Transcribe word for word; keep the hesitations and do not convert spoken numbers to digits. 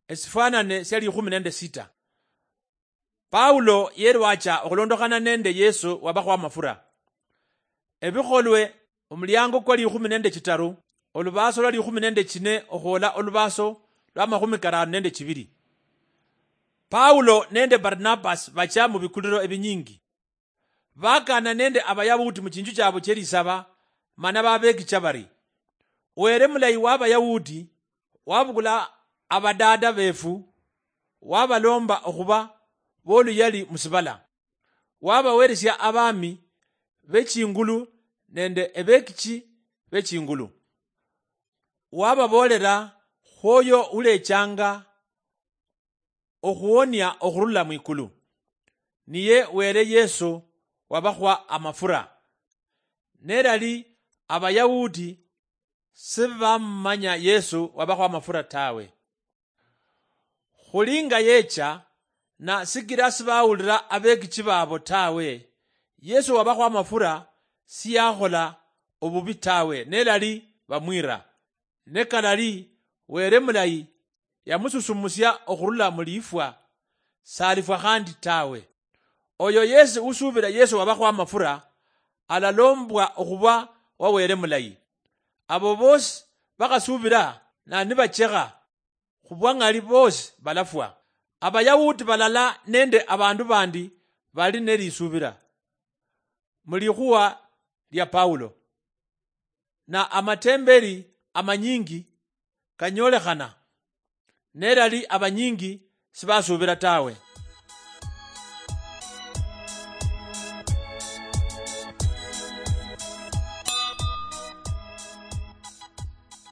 Esifwanane sia likhumi nende sita. Paulo yerwacha okhulondokhana nende Yesu wabakhwa amafura. Ebikholwe, omuliango kwa likhumi nende chitaru, olubaaso lwa likhumi nende chine okhwola olubaaso lwa makhumi karano nende chibiri. Paulo nende Barnabas bacha mu bikuliro ebinyingi. Bakana nende Abayahudi mu chinju chabo chelisaba, mana babekicha bari, "Were mulayi wa Abayahudi wabukula abadada befu, wabalomba okhuba boluyali musibala, wabaweresia abami bechingulu nende ebekichi bechingulu, wababolera khwoyo ulechanga okhuwonia okhurula mwikulu, niye Were Yesu wabakhwa amafura." Nerali Abayahudi sibamumanya Yesu wabakhwa amafura tawe. Khuli nga yecha, na sikira sibawulira abekichi babo tawe, Yesu wabakhwa amafura siyakhola obubi tawe, nelali bamwira. Ne kalali Were mulayi yamususumusia okhurula mu lifwa, salifwa khandi tawe. Oyo yesi usuubira Yesu wabakhwa amafura, alalombwa okhuba wa Were mulayi. Abo bosi bakhasuubira na nibachekha, khubwa ng'ali bosi balafwa. Abayahudi balala nende abandu bandi bali nelisuubira mu likhuwa lia Paulo, na amatemberi amanyingi kanyolekhana, nerali abanyingi sibasuubira tawe.